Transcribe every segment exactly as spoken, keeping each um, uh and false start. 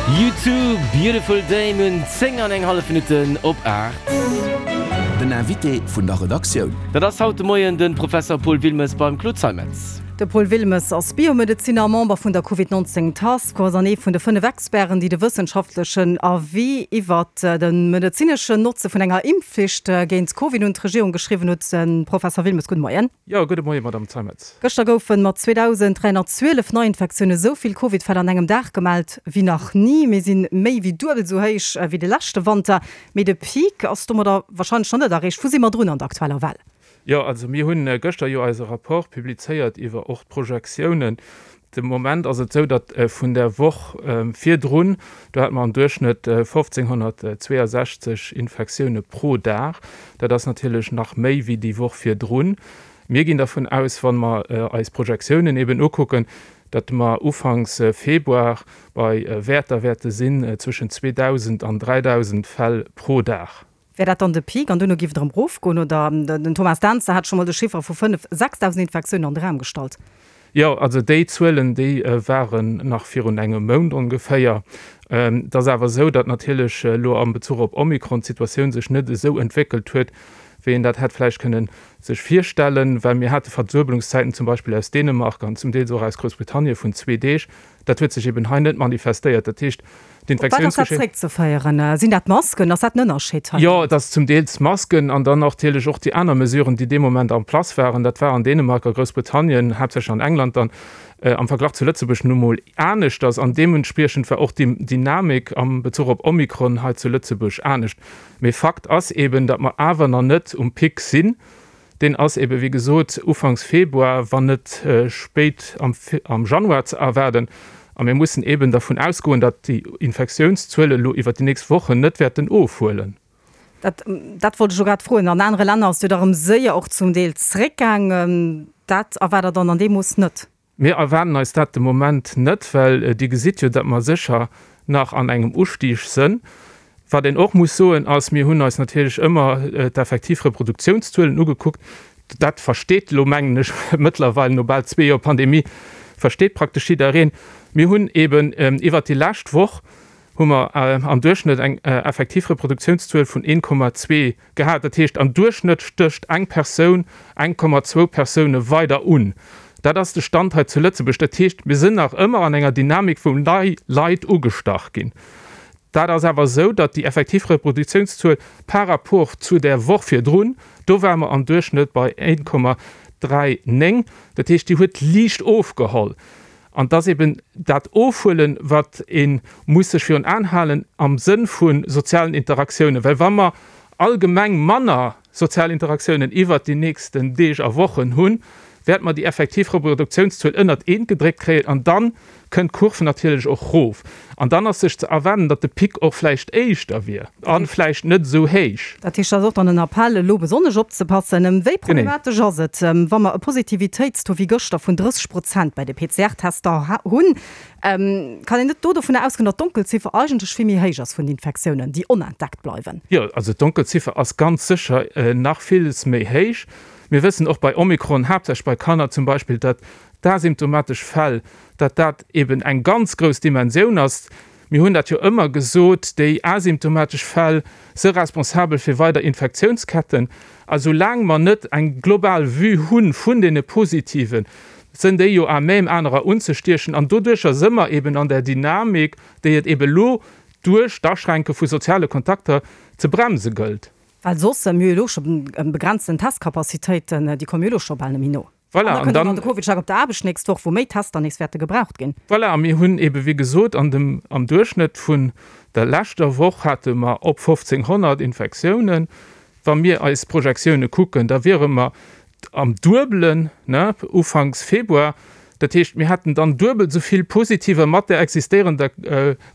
U two, Beautiful Day. Mir hunn zéng an eng hallef Minutten op aacht. Den Invité vun der Redaktioun. Dat ass haut de Moien de Professer Paul Wilmes beim Claude Zeimetz. De Paul Wilmes ass Biomedeziner a Member vun der Covid neunzéng Task Force an ee vun de fënnef Experten, déi de wëssenschaftlechen Avis iwwert de medezineschen Notze vun enger Impfflicht géint Covid un d'Regierung geschriwwen huet. Professer Wilmes, gudde Moien. Jo, gudde Moien, Madamm Zeimetz. Gëschter goufe mat zweedausend dräihonnertzwielef Neiinfektioune sou vill Covid-Fäll an engem Dag gemellt wéi nach ni. Mir si méi wéi duebel sou héich wéi de leschte Wanter. Mee de Peak ass domadder warscheinlech nach net erreecht. Wou si mer drun an der aktueller Well? Jo, also mir hunn gëschter jo eise Rapport publizéiert iwwer och d'Projektiounen. De Moment ass et esou, datt vun der Woch virdrun, do hate mer am Duerchschnëtt fofzénghonnertzweeasechzeg Infektioune pro Dag. Dat ass natierlech nach méi wéi déi Woch virdrun. Mir ginn dervun aus, wa mer eis Projektiounen eben ukucken, datt mer ufanks Februar bei Wäerter wäerte sinn zwëschen zweedausend an dräidausend Fäll pro Dag. Wär dat dann de Peak an duerno géif et erëm erofgoen? Oder den Thomas Dentzer hat scho mol de Chiffer vu fënnef, sechsdausend Infektiounen an de Raum gestallt. Jo, also déi Zuelen, déi waren nach virun engem Mount ongeféier. Et ass awer esou, datt natierlech elo am Bezuch op Omikron d'Situatioun sech net esou entwéckelt huet, wéi een dat hätt vläicht kënnen sech virstellen, well mir hate Verduebelungszäiten zum Beispill aus Dänemark an zum Deels och aus Groussbritannien vun zwee Deeg. Dat huet sech eben hei net manifestéiert. Dat heescht, Op wat ass dat zréckzeféieren? Sinn dat d'Masken? Ass dat en Ënnerscheed hei? Jo, et ass zum Deels d'Masken an dann natierlech och déi aner Mesuren, déi dee Moment en place waren. Dat war an Dänemark a Groussbritannien, haaptsächlech an England dann, am Verglach zu Lëtzebuerg nu mol aneschters. An deementspriechend war och déi Dynamik am Bezuch op Omikron hei zu Lëtzebuerg anescht. Mee Fakt ass eben, datt mer awer nach net um Pic sinn. Deen ass ebe wéi gesot ufanks Februar, wann net spéit am Januar ze erwaarden. A mir mussen eben dervun ausgoen, datt déi Infektiounszuele elo iwwert déi nächst Wochen net wäerten ofhuelen. Dat, dat wollt ech elo grad froen. An anere Länner ass jo da erëm séier och zum Deel zréckgaangen. Dat erwaart Der dann an deem Mooss net? Mir erwaarden eis dat de Moment net, well Dir gesitt jo, datt mer sécher nach an engem Ustieg sënn. Wat een och muss soen ass, mir hunn eis natierlech ëmmer d'effektiv Reproduktiounszuelen ugekuckt. Dat versteet elo, mengen ech, mëttlerweil no bal zwee Joer Pandemie, versteet praktesch jiddereen. Mir hunn eeben iwwert déi lescht Woch hu mer am Duerchschnëtt eng effektiv Reproduktiounszuel vun een Komma zwee gehat. Dat heescht, am Duerchschnëtt stécht eng Persoun eng Komma zwou Persoune weider un. Dat ass de Stand hei zu Lëtzebuerg. Dat heescht, mir sinn nach ëmmer an enger Dynamik, wou nei Leit ugestach ginn. Dat ass awer esou, datt déi effektiv Reproduktiounszuel par rapport zu där Woch virdrun, do ware mer am Duerchschnëtt bei een Komma dräi néng, dat heescht, déi huet liicht ofgeholl. An et ass eben dat Ofhuelen, wat ee muss sech virun Aen halen am Sënn vu sozialen Interaktiounen. Well wa mer allgemeng manner sozial Interaktiounen iwwert déi nächsten Deeg a Wochen hunn, wäerte mer déi effektiv Reproduktiounszuel ënnert eent gedréckt kréien an da kënnt d'Kurv natierlech och rof. An dann ass sech ze erwaarden, datt de Pic och vläicht éischter wier a vläicht net esou héich. Dat heescht, dat ass och dann en Appell, elo besonnesch opzepassen. Wéi problematesch ass et, wa mer e Positivitéitstaux wéi gëschter vun drësseg Prozent bei de P C R-Tester hunn? Kann een net do dovunner ausgoen, datt d'Donkelziffer eigentlech vill méi héich ass vun Infektiounen, déi onentdeckt bleiwen? Jo, also d'Donkelziffer ass ganz sécher nach villes méi héich. Mir wëssen och bei Omikron, haaptsächlech bei Kanner zum Beispill, datt d'asymptomatesch Fäll, datt dat eben eng ganz grouss Dimensioun ass. Mir hunn dat jo ëmmer gesot, déi asymptomatesch Fäll si responsabel fir weider Infektiounsketten. A soulaang mer net eng global Vue hu vun deene Positiven, sënn déi jo à même anerer unzestiechen. An doduercher si mer eben an där Dynamik, déi et eben elo duerch d'Aschränke vu soziale Kontakter ze bremse gëllt. Well soss, mir hu jo elo scho begrenzten Testcapacitéiten, déi komme jo elo scho bal net méi no. Voilà, an da kënnt och nach de CovidCheck op der Aarbecht d'nächst Woch, wou méi Tester nees wäerte gebraucht ginn. Voilà, a mir hunn eebe wéi gesot an dem, am Duerchschnëtt vun der leschter Woch hate mer op fofzénghonnert Infektiounen. Wa mir eis Projektioune kucken, da wiere mer am Duebelen, ne, ufanks Februar. Dat heescht, mir hätten dann duebel esou vill Positiver mat där existéierender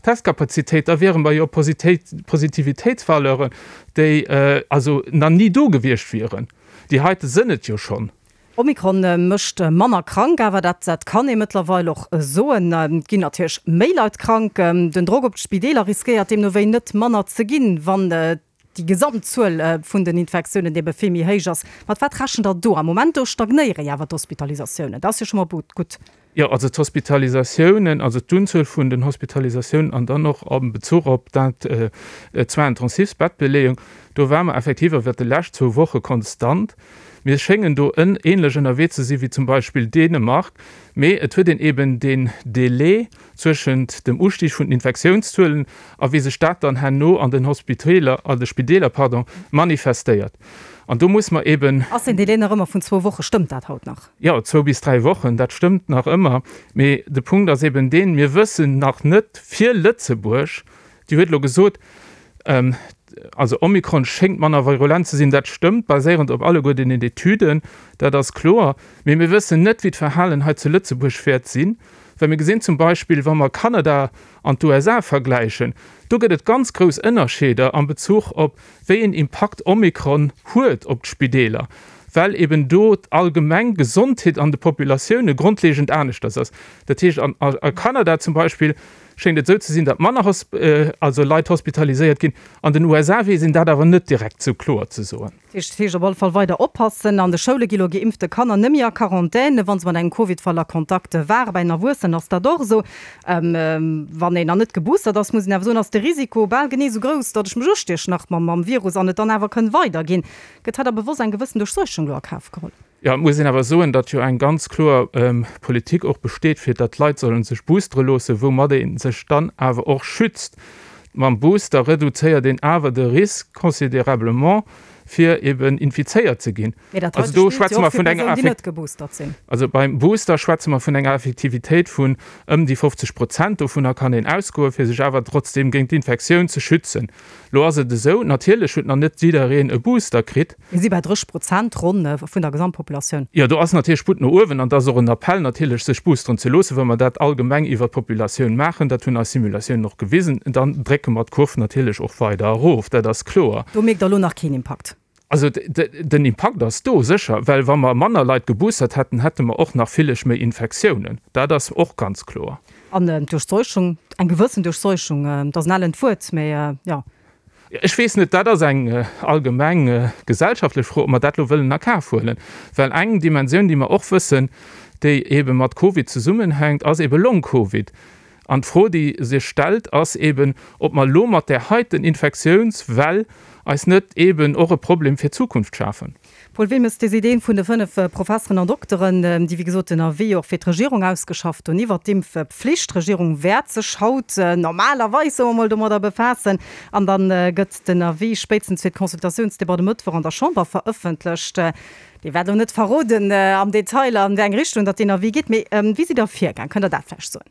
Testkapazitéit. Da wiere mer jo op Positivitéitsvaleuren, déi also nach ni do gewiescht wieren. Déi heite sënn et jo schonn. Omikron mécht manner krank, awer dat dat kann ee mëttlerweil och soen. Et ginn natierlech méi Leit krank. Den Drock op d'Spideeler riskéiert deemno wéi net manner ze ginn, wann déi Gesamtzuel vun den Infektiounen ebe vill méi héich ass. Mat wat rechent Der do? Am Moment do stagnéiere jo awer d'Hospitalisatiounen. Dat ass jo scho mol gutt. Jo, also d'Hospitalisatiounen, also d'Unzuel vun den Hospitalisatiounen an dann och am Bezuch op dat d'Soins-intensifs-Bettbeleeung, do ware mer effektiv iwwert déi lescht zwou Woche konstant. Mir schéngen do änlech ënnerwee ze si wéi zum Beispill Dänemark, mee et huet een eben deen Delai zwëschent dem Ustig vun den Infektiounszuelen a wéi sech dat dann herno an den Hospiteeler, an de Spideeler, pardon, manifestéiert. An do muss mer eben. Ass deen Delai nach ëmmer vun zwou Woche? Stëmmt dat haut nach? Jo, zwou bis dräi Wochen, dat stëmmt nach ëmmer. Mee de Punkt ass eben deen, Mir wëssen nach net fir Lëtzebuerg, Dir huet elo gesot, also Omikron schéngt manner virulent ze sinn, dat stëmmt, baséierend op alleguer deenen Etüden, dat ass kloer. Mee mir wëssen net, wéi d'Verhalen hei zu Lëtzebuerg wäert sinn, well mir gesinn zum Beispill, wa mer Kanada an d'USA vergläichen, do gëtt et ganz grouss Ënnerscheeder am Bezuch op, wéi een Impakt Omikron huet op d'Spideeler, well eben do d'allgemeng Gesondheet an de Populatioune grondlegend aneschters ass. Dat heescht, a Kanada zum Beispill schéngt et esou ze sinn, datt manner also Leit hospitaliséiert ginn. An den USA weess een dat awer net direkt esou kloer ze soen. Dat heescht op alle Fall weider oppassen. An de Schoule gi lo geimpfte Kanner net méi a Quarantän, wa se mat engem Covid-Fall a Kontakt waren. Bei den Erwuessenen ass dat och esou. Wann een nach net geboostert ass, muss een awer soen, ass de Risiko bal genee esou grouss, datt ech mech ustiechen nach mam Virus an et dann awer kënn weiderginn. Gëtt hei da bewosst eng gewëssen Duerchseuchung lo a Kaf geholl? Jo, et muss een awer soen, datt jo eng ganz kloer Politik och besteet, fir datt d'Leit sollen sech boostere loossen, woumat ee sech dann awer och schützt. Mam Booster reduzéiert een awer de Risk considérablement, fir eben infizéiert ze ginn. Mee dat Also heite do spillt jo schwätze och mer fir vun enger Persounen, déi Effek net geboostert sinn. Also beim Booster schwätze mer vun enger Effektivitéit vun ëm déi fofzeg Prozent. Dovunner kann een ausgoen, fir sech awer trotzdeem géint d'Infektioun ze schützen. Lo ass et esou, natierlech huet nach net jiddereen e Booster kritt. Mir si bei drësseg Prozent ronn vun der Gesamtpopulatioun. Jo, do ass natierlech Sputt no uewen an et ass och en Appell natierlech, sech boosteren ze loossen. Wa mer dat allgemeng iwwert d'Populatioun maachen, dat hunn eis Simulatiounen och gewisen, dann drécke mer d'Kurv natierlech och weider erof, dat ass kloer. Do mierkt Der elo nach keen Impakt? Also den Impakt ass do, sécher, well wa mer manner Leit geboostert hätten, hätte mer och nach villech méi Infektiounen. Dat ass och ganz kloer. An d'Duerchseuchung, eng gewëssen Duerchseuchung, dat ass en ellent Wuert, mä jo. Ech weess net, dat ass eng allgemeng gesellschaftlech Fro, ob mer dat elo wëllen a Kaf huelen. Well eng Dimensioun, déi mer och wëssen, déi eebe mat Covid zesummenhänkt, ass eebe Long-Covid. An d'Fro, déi sech stellt, ass eeben, ob mer elo mat där heiten Infektiounswell eis net eeben och e Problem fir d'Zukunft schafen. Paul Wilmes, Déi Idee vun de fënnef Professeren an Dokteren, déi wéi gesot den Avis och fir d'Regierung ausgeschafft hunn iwwert d'Impfpflicht, d'Regierung wäert sech haut normalerweis, soe mer mol, domadder befaassen an da gëtt den Avis spéitstens fir d'Consultatiounsdebatt e Mëttwoch an der Chamber verëffentlecht. Dir wäert elo net verroden am Detail, an wéi eng Richtung datt deen Avis geet, mee wéi sidd Der virgaang? Kënnt Der dat vläicht soen?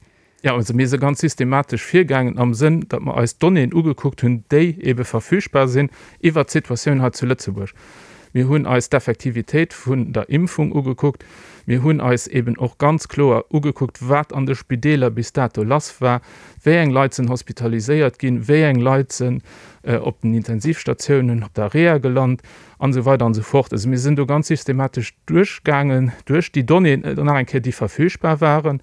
Jo, also mir si ganz systematesch virgaangen am Sënn, datt mer eis d'Donnéeën ugekuckt hunn, déi eebe verfügbar sinn iwwert d'Situatioun hei zu Lëtzebuerg. Mir hunn eis d'Effektivitéit vun der Impfung ugekuckt. Mir hunn eis eeben och ganz kloer ugekuckt, wat an de Spideeler bis dato lass war, wéi eng Leit sinn hospitaliséiert ginn, wéi eng Leit sinn op den Intensivstatiounen, op der Reha gelant an esou weider an esou fort. Also mir sinn do ganz systematesch duerchgaangen duerch déi Donnéeën, nach eng Kéier, déi verfügbar waren.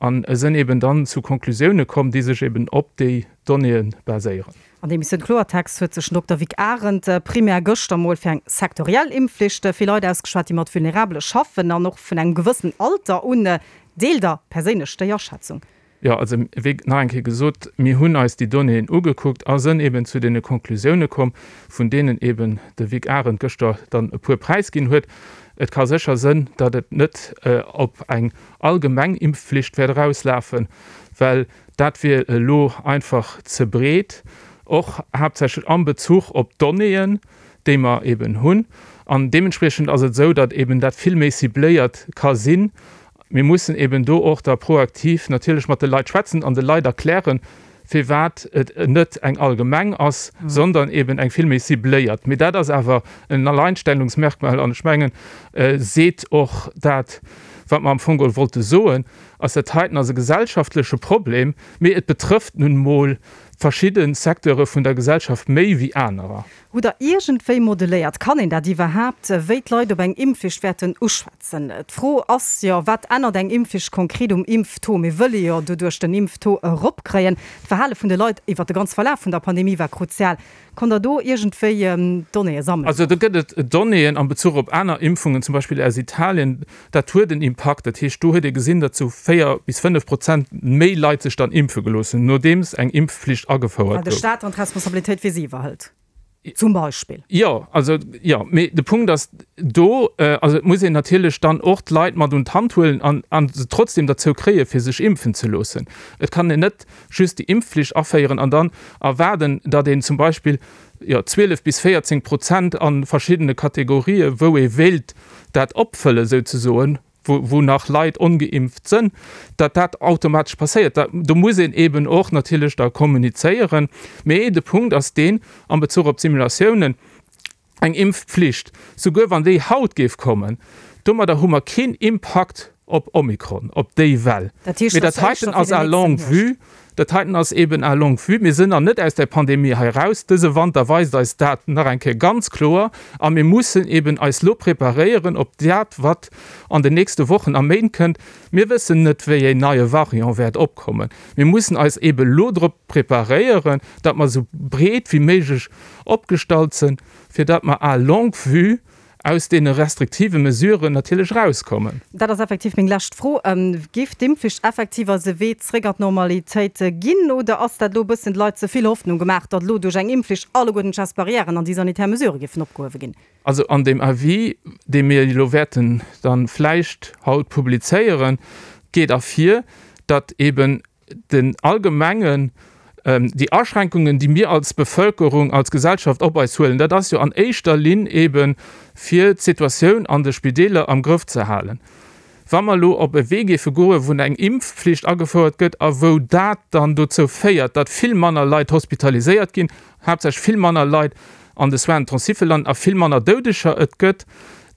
An sënn eben dann zu Konklusioune komm, déi sech eben op déi Donnéeë baséieren. An der Emissioun Kloertext huet sech den Dokter Vic Arendt primär gëschter mol fir eng sektoriell Impfflicht fir Leit ausgeschwat, déi mat Vulnerabele schaffen an och vun engem gewëssenen Alter un. Deelt Der perséinlech déi Aschätzung? Jo, also wéi nach eng Kéier gesot, mir hunn eis déi Donnéeën ugekuckt a sënn eben zu deene Konklusioune komm, vun deenen eben de Vic Arendt gëschter dann e puer präisginn huet. Et ka sécher sënn, datt et net op eng allgemeng Impfflicht wäert erauslafen, well dat wier elo einfach ze breet, och haaptsächlech am Bezuch op d'Donnéeën, déi mer eben hunn. An deementspriechend ass et esou, datt eben dat vill méi cibléiert ka sinn. Mir mussen eben do och da proaktiv natierlech mat de Leit schwätzen an de Leit erklären, firwat et net eng allgemeng ass, sondern eben eng vill méi cibléiert. Mee dat ass awer en Alleinstellungsmerkmal an ech mengen, seet och dat, wat mer am Fong geholl wollte soen, ass, dat heiten ass e gesellschaftleche Problem, mee et betrëfft nun emol verschidde Secteure vun der Gesellschaft méi wéi anerer. Hutt Der iergendwéi modelléiert, kann een dat iwwerhaapt, wéi d'Leit op eng Impfflicht wäerten uschwätzen? D'Fro ass jo, Wat ännert eng Impfflicht konkret um Impftaux? Mir wëlle jo doduerch den Impftaux eropkréien. D'Verhale vun de Leit iwwert de ganze Verlaf vun der Pandemie war kruzial. Konnt Der do iergendwéi Donnéeë sammelen? Also do gëtt et Donnéeën am Bezuch op aner Impfungen, zum Beispill aus Italien. Dat huet en Impakt. Dat heescht, do huet ee gesinn, datt sou véier bis fënnef Prozent méi Leit sech dann impfe gelooss hunn, nodeems eng Impfflicht agefouert Well de gouf. Staat dann d'Responsabilitéit fir si iwwerhëlt, zum Beispill. Jo, also jo, mee de Punkt ass do, also et muss een natierlech dann och d'Leit mat un d'Hand huelen an a se trotzdem derzou kréie fir sech impfen ze loossen. Et kann een net just déi Impfflicht aféieren an dann erwaarden, datt een zum Beispill, jo, zwielef bis véierzéng Prozent a verschiddene Kategorië wou ee wéilt dat opfëlle souzesoen, wou wou nach Leit ongeimpft sënn, datt dat automatesch passéiert. Da do muss een eeben och natierlech da kommunizéieren. Mee de Punkt ass deen, am Bezuch op d'Simulatiounen, Eng Impfpflicht, souguer wann déi haut géif kommen, domadder hu mer keen Impakt op Omikron, op déi Well. Dat heescht, Mee dat dat ass heiten éischter fir ass den à nächsten longue Hierscht. vue, dat heiten ass eeben à longue vue. Mir sinn nach net aus där Pandemie hei eraus. Dëse Wanter weist eis dat nach eng Kéier ganz kloer. A mir mussen eeben eis lo preparéieren op dat, wat an den nächste Wochen a Méint kënnt. Mir wëssen net, wéi een neie Variant wäert opkommen. Mir mussen eis eebe lo drop preparéieren, datt mer esou breet wéi méiglech opgestallt sinn, fir datt mer à longue vue aus deene restriktive Mesuren natierlech erauskommen. Dat ass effektiv meng lescht Fro. Géif d'Impfflicht effektiv eis e Wee zréck an d'Normalitéit ginn oder ass dat elo e bëssen de Leit ze vill Hoffnung gemaach, datt elo duerch eng Impfflicht alleguerten d'Gestes barrières an déi sanitär Mesurë géifen opgehuewe ginn? Also an deem Avis, dee mir elo wäerten dann vläicht haut publizéieren, geet ervir, datt eeben den allgemengen, déi Aschränkungen, déi mir als Bevölkerung, als Gesellschaft op eis huelen, dat ass jo an éischter Linn eebe fir d'Situatioun an de Spideeler am Grëff ze halen. Wa mer elo op e Wee géife goen, wou eng Impfflicht agefouert gëtt a wou dat dann dozou féiert, datt vill manner Leit hospitaliséiert ginn, haaptsächlech vill manner Leit an de Soins intensifs landen a vill manner Doudeger et gëtt,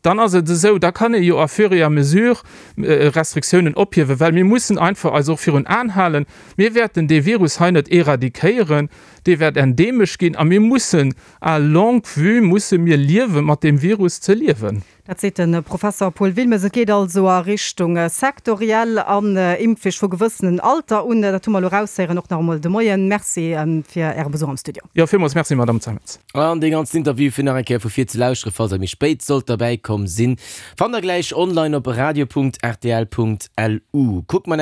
dann ass et esou, da kann ee jo à fur et à mesure Restriktiounen ophiewen, well mir mussen einfach eis och virun Aen halen, mir wäerten dee Virus hei net éradiquéieren, dee wäert endeemesch ginn a mir mussen à longue vue musse mir liewe mat deem Virus ze liewen. Dat seet de Professer Paul Wilmes. Et geet also a Richtung sektoriell an Impfflicht vu gewëssenen Alter un. Dat hu mer elo eraushéieren, och nach emol de Moien. Merci fir Äre Besuch am Studio. Jo, villmools Merci, Madamm Zeimetz. An dee ganzen Interview fir nach eng Kéier vu vir ze lauschteren, falls der méi spéit sollt derbäi komm sinn, fannt der gläich online op radio.rtl.lu. Kuckt mer.